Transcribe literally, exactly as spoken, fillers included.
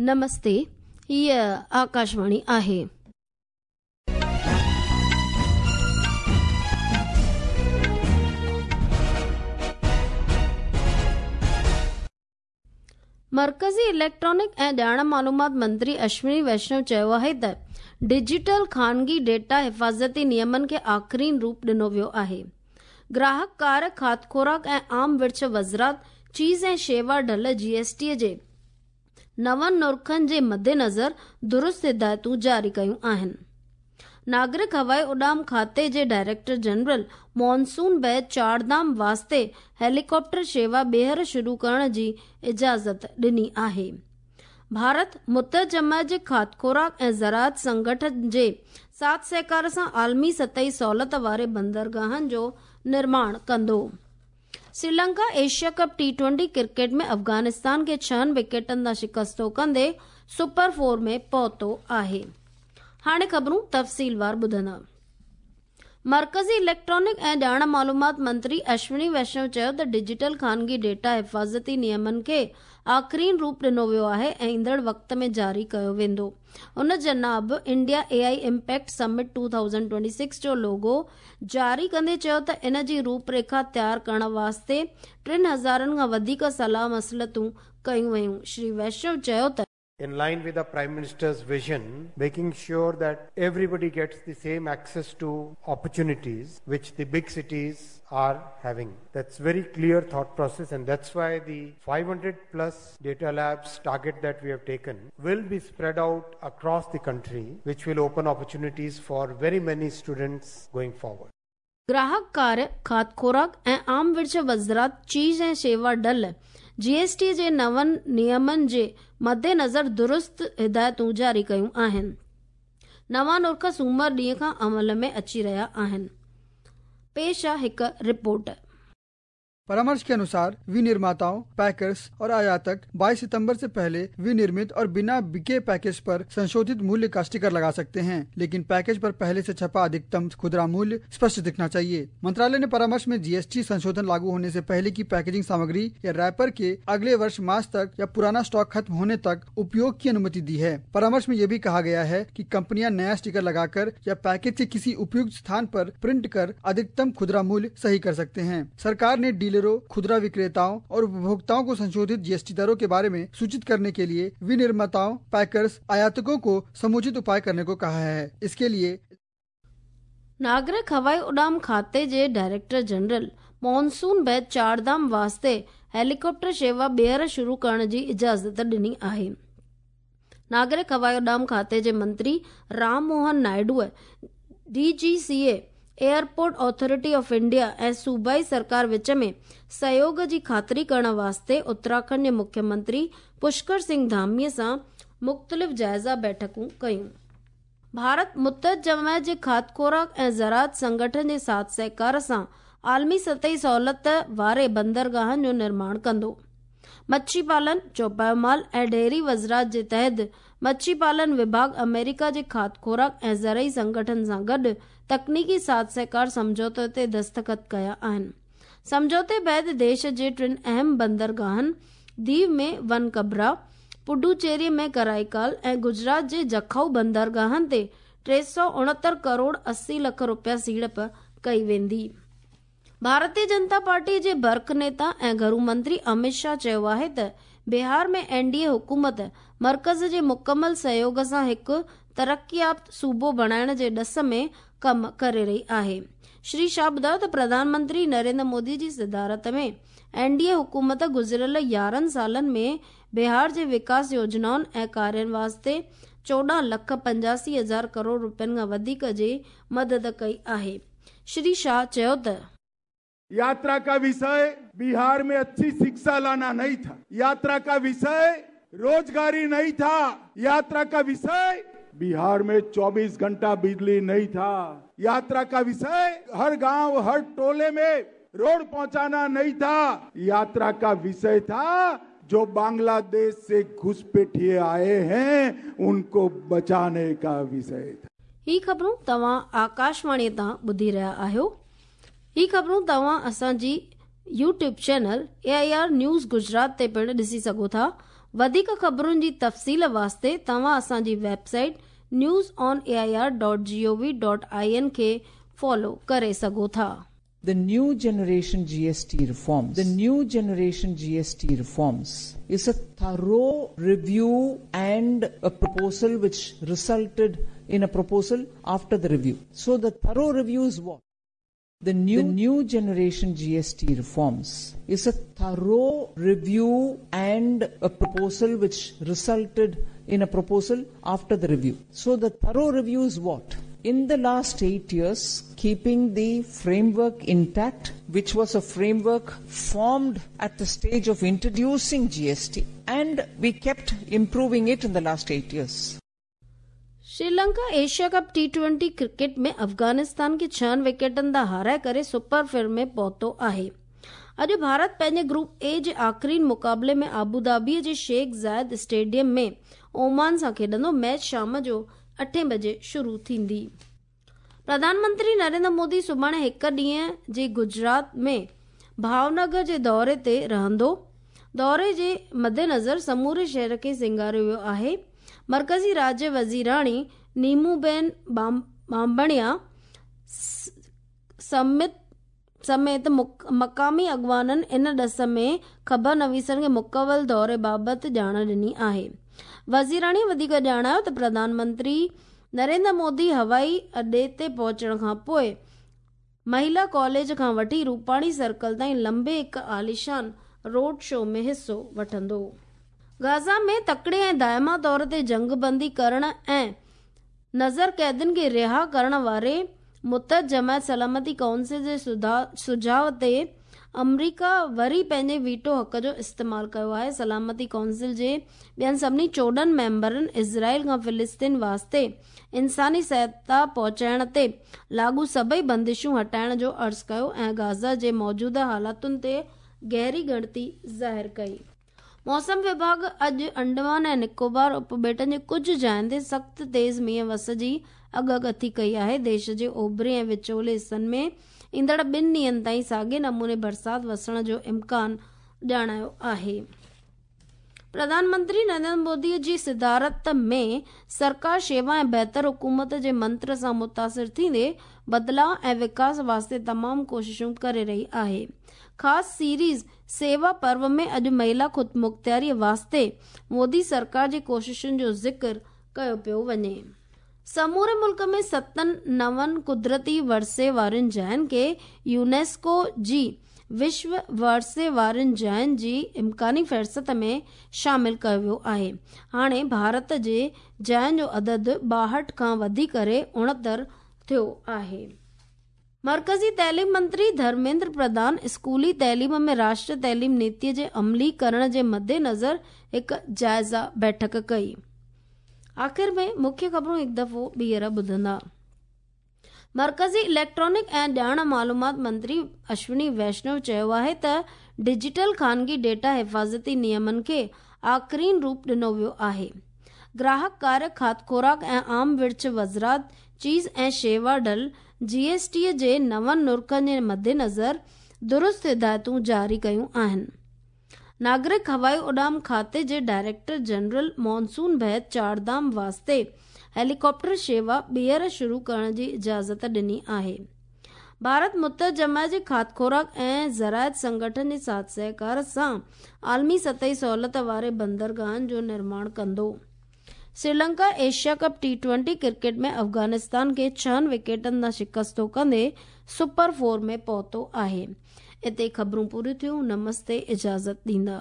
नमस्ते, हीअ आकाशवाणी आहे। मर्कज़ी इलेक्ट्रॉनिक ऐं ॼाण मालूमात मंत्री अश्विनी वैष्णव चयो आहे त डिजिटल ख़ानगी डेटा हिफ़ाज़ती नियमनि खे आख़िरीन रूप ॾिनो वियो आहे। ग्राहक कार, खाद खुराक ऐं आम विर्छ वज़रात चीज़ ऐं शेवा ढल जी एस टी जे नवनि नुरखनि जे मद्देनज़र दुरुस्त हिदायतूं जारी कयूं आहिनि। नागरिक हवाई उॾाम खाते जे डायरेक्टर जनरल मॉनसून बैद चारधाम वास्ते हेलीकॉप्टर शेवा ॿीहर शुरू करण जी इजाज़त ॾिनी आहे। भारत मुत्तहिद जमायत जे खाद खुराक ऐं ज़राअत संगठन जे साथ सहकार सां आलमी सतही सहूलियत वारे बंदरगाहनि जो निर्माण कंदो। Sri Lanka Asia cup T twenty cricket में अफ़गानिस्तान खे छहनि विकेटनि तां शिकस्तो कंदे सुपर फोर में पहुतो आहे। हाणे ख़बरूं तफ़सीलवार ॿुधंदा। मर्कज़ी इलेक्ट्रॉनिक ऐं ॼाण मालूमात मंत्री अश्विनी वैष्णव चयो त डिजिटल ख़ानगी डेटा हिफ़ाज़ती नियमनि खे आख़िरीन रूप ॾिनो वियो आहे ऐं ईंदड़ वक़्त में जारी कयो वेंदो। उन जनाब India A I impact summit two thousand twenty six जो लोगो जारी कंदे चयो त इन जी रूपरेखा तयार करण वास्ते टिनि हज़ारनि खां वधीक सलाह मसलतूं कयूं वयूं। श्री वैष्णव चयो त In line with the Prime Minister's vision, making sure that everybody gets the same access to opportunities which the big cities are having. That's very clear thought process, and that's why the five hundred plus data labs target that we have taken will be spread out across the country, which will open opportunities for very many students going forward. ग्राहक कार्य, खाद खुराक ऐं आम विर्छ वज़रात चीज़ ऐं शेवा ढल G S T जे नवनि नियमनि जे मद्देनज़र दुरुस्त हिदायतूं जारी कयूं आहिनि। नवां नुर्ख सूमर ॾींहं खां अमल में अची रहिया आहिनि। पेश आहे हिकु रिपोर्ट। परामर्श के अनुसार विनिर्माताओं, पैकर्स और आयातक बाईस सितंबर से पहले विनिर्मित और बिना बिके पैकेज पर संशोधित मूल्य का स्टिकर लगा सकते हैं, लेकिन पैकेज पर पहले से छपा अधिकतम खुदरा मूल्य स्पष्ट दिखना चाहिए। मंत्रालय ने परामर्श में जीएसटी संशोधन लागू होने से पहले की पैकेजिंग सामग्री या रैपर के अगले वर्ष मार्च तक या पुराना स्टॉक खत्म होने तक उपयोग की अनुमति दी है। परामर्श में यह भी कहा गया है कि कंपनियां नया स्टिकर लगाकर या पैकेज के किसी उपयुक्त स्थान पर प्रिंट कर अधिकतम खुदरा मूल्य सही कर सकते हैं। सरकार ने डीलर, खुदरा विक्रेताओं और उपभोक्ताओं को संशोधित जीएसटी दरों के बारे में सूचित करने के लिए विनिर्माताओं, पैकर्स, आयातकों को समुचित उपाय करने को कहा है। इसके लिए नागरिक हवाई उॾाम खाते जे डायरेक्टर जनरल मॉनसून बैद चारधाम वास्ते हेलीकॉप्टर शेवा ॿीहर शुरू करण जी इजाज़त ॾिनी आहे। नागरिक हवाई उॾाम खाते जे मंत्री Ram Mohan नायडूअ D G C A, airport authority of India ऐं सूबाई सरकार विच में सहयोग जी ख़ातिरी करण वास्ते उत्तराखंड जे मुख्यमंत्री पुष्कर सिंह धामीअ सां मुख़्तलिफ़ जाइज़ा बैठकूं कयूं। भारत मुत्तहिद जमायत जे खाद खुराक ऐं ज़राअत संगठन जे साथ सहकार सां आलमी सतही सहूलियत वारे बंदरगाहनि जो निर्माण कंदो। मच्छी पालन, चौपायो माल ऐं डेयरी वज़रात जे तहत मच्छी पालन विभाग अमेरिका जे खाद खुराक ऐं ज़रई संगठन सां गॾु तकनीकी साथ सहकार सम्झौते ते दस्तख़त कया आहिनि। सम्झौते बाद देश जे टिनि अहम बंदरगाहनि दीव में वनकबरा, पुडुचेरी में कराईकाल ऐं गुजरात जे जखाऊ बंदरगाहनि ते टे सौ उणहतरि करोड़ अस्सी लख रुपया सीड़प कई वेंदी। भारतीय जनता पार्टी जे बर्क नेता ऐं घरू मंत्री अमित शाह चयो आहे त बिहार में एन डी ए हुकूमत मर्कज़ जे मुकमल सहयोग सां हिकु तरक्कियात सूबो बणाइण जे ॾस में कमु करे रही आहे। श्री शाह ॿुधायो त प्रधानमंत्री नरेंद्र मोदी जी सदारत में एन डी ए हुकूमत गुज़िरियल यारहं सालनि में बिहार जे विकास योजनाउनि ऐं कार्यनि वास्ते चोॾहं लख पंजासी हज़ार करोड़ रुपयनि खां वधीक जी मदद कई आहे। श्री शाह चयो त यात्रा का विषय बिहार में अच्छी शिक्षा लाना नहीं था, यात्रा का विषय रोजगारी नहीं था, यात्रा का विषय बिहार में चौबीस घंटा बिजली नहीं था, यात्रा का विषय हर गांव हर टोले में रोड पहुंचाना नहीं था, यात्रा का विषय था जो बांग्लादेश से घुसपैठिए आए हैं उनको बचाने का विषय था। ही ख़बरूं तव्हां आकाशवाणी तां ॿुधी रहिया आहियो। ही ख़बरूं तव्हां असांजी YouTube channel A I R news Gujarat ते पिणु ॾिसी सघो था। वधीक ख़बरुनि जी तफ़सील वास्ते तव्हां असांजी website news on A I R dot G O V dot I N खे फॉलो करे सघो था। The new generation G S T reforms, the new generation G S T reforms is a thorough review and a proposal which resulted in a proposal after the review. So the thorough review is what? The new, the new generation G S T reforms is a thorough review and a proposal which resulted in a proposal after the review. So the thorough review is what? In the last eight years, keeping the framework intact, which was a framework formed at the stage of introducing G S T, and we kept improving it in the last eight years. Sri Lanka Asia cup T twenty cricket में अफ़गानिस्तान खे छहनि विकेटनि तां हाराए करे super four में पहुतो आहे। अॼु भारत पंहिंजे ग्रुप ए जे आख़िरी मुक़ाबले में आबू धाबीअ जे शेख ज़ायद स्टेडियम में ओमान सां खेॾंदो। मैच शाम जो अठे बजे शुरू थींदी। प्रधानमंत्री नरेंद्र मोदी सुभाणे हिकु ॾींहं जे गुजरात में भावनगर जे दौरे ते रहंदो। दौरे जे मद्देनज़र समूरे शहर खे सिंगारियो वियो आहे। मर्कज़ी राज्य वज़ीराणी नीमूबेन बांबणिया समेत समेत मक़ामी अॻवाननि इन ॾस में ख़बर नवीसनि खे मुकवल दौरे बाबति ॼाण ॾिनी आहे। वज़ीराणी वधीक ॼाणायो त प्रधानमंत्री नरेंद्र मोदी हवाई अॾे ते पहुचण खां पोइ महिला कॉलेज खां वठी रूपाणी सर्कल ताईं लंबे हिकु आलीशान रोड शो में हिसो वठंदो। गाज़ा में तकड़े ऐं दायमा तौर ते जंगबंदी करण ऐं नज़र क़ैदियुनि खे रिहा करण वारे मुतहद जमायत सलामती काउंसिल जे सुझाव ते अमरीका वरी पंहिंजे वीटो हक़ जो इस्तेमालु कयो आहे। सलामती काउंसिल जे ॿियनि सभिनी चोॾहं मेंबरनि इज़राइल खां फ़िलिस्तीन वास्ते इंसानी सहायता पहुचाइण ते लागू सभई बंदिशूं हटाइण जो अर्ज़ु कयो ऐं गाज़ा जे मौजूदा हालातुनि ते गहरी ॻणती ज़ाहिर कई। मौसम विभाग अॼु अंडमान ऐं निकोबार उपॿेटनि जे कुझु जायुनि ते सख़्तु तेज़ मींहुं वस जी अॻकथी कई आहे। देश जे ओभरे ऐं विचोले हिसनि में ईंदड़ ॿिनि ॾींहनि ताईं साॻे नमूने बरसाति वसण जो इम्कान ॼाणायो आहे। प्रधानमंत्री नरेंद्र मोदी जी सदारत में सरकार शेवा ऐं बहितर हुकूमत जे मंत्र सां मुतासिर थींदे बदिलाव ऐं विकास वास्ते तमामु कोशिशूं करे रही आहे। ख़ासि सीरीज़ सेवा पर्व में अॼु महिला ख़ुदमुख़्तियारीअ वास्ते मोदी सरकार जी कोशिशुनि जो ज़िक्र कयो पियो वञे। समूरे मुल्क में सतनि नवनि कुदरती वरसे वारनि जायुनि खे यूनेस्को जी विश्व वरसे वारनि जायुनि जी इम्कानी फ़हरिस्त में शामिल कयो वियो आहे। हाणे भारत जे जायुनि जो अदद ॿाहठि खां वधी करे उणहतरि थियो आहे। मर्कज़ी तइलीम मंत्री धर्मेंद्र प्रधान स्कूली तइलीम में राष्ट्रीय तइलीम नीतीअ जे अमली करण जे मद्देनज़र हिकु जाइज़ा बैठक कई। आख़िर में मुख्य ख़बरूं हिकु दफ़ो ॿीहर ॿुधंदा। मर्कज़ी इलेक्ट्रॉनिक ऐं ॼाण मालूमात मंत्री अश्विनी वैष्णव चयो आहे त डिजिटल ख़ानगी डेटा हिफ़ाज़ती नियमनि खे आख़िरीन रूप ॾिनो वियो आहे। ग्राहक कार्य, खाध खुराक ऐं आम विर्छ वज़रात चीज़ ऐं शेवा ढल जी एस टी जे नवनि नुरखनि जे मद्देनज़र दुरुस्त हिदायतूं जारी कयूं आहिनि। नागरिक हवाई उॾाम खाते जे डायरेक्टर जनरल मानसून बहत चारधाम वास्ते हेलीकॉप्टर शेवा ॿीहर शुरू करण जी इजाज़त ॾिनी आहे। भारत मुतहद जमायत जे खाध खुराक ऐं ज़राइत संगठन जे साथ सहकार सां आलमी सतही सहूलियत वारे बंदरगाहनि जो निर्माण कंदो। Sri Lanka Asia cup T twenty cricket में अफ़गानिस्तान खे छहनि विकेटनि तां शिकस्तो कंदे सुपर फोर में पहुतो आहे। हिते ख़बरूं पूरियूं थियूं। नमस्ते, इजाज़त ॾींदा।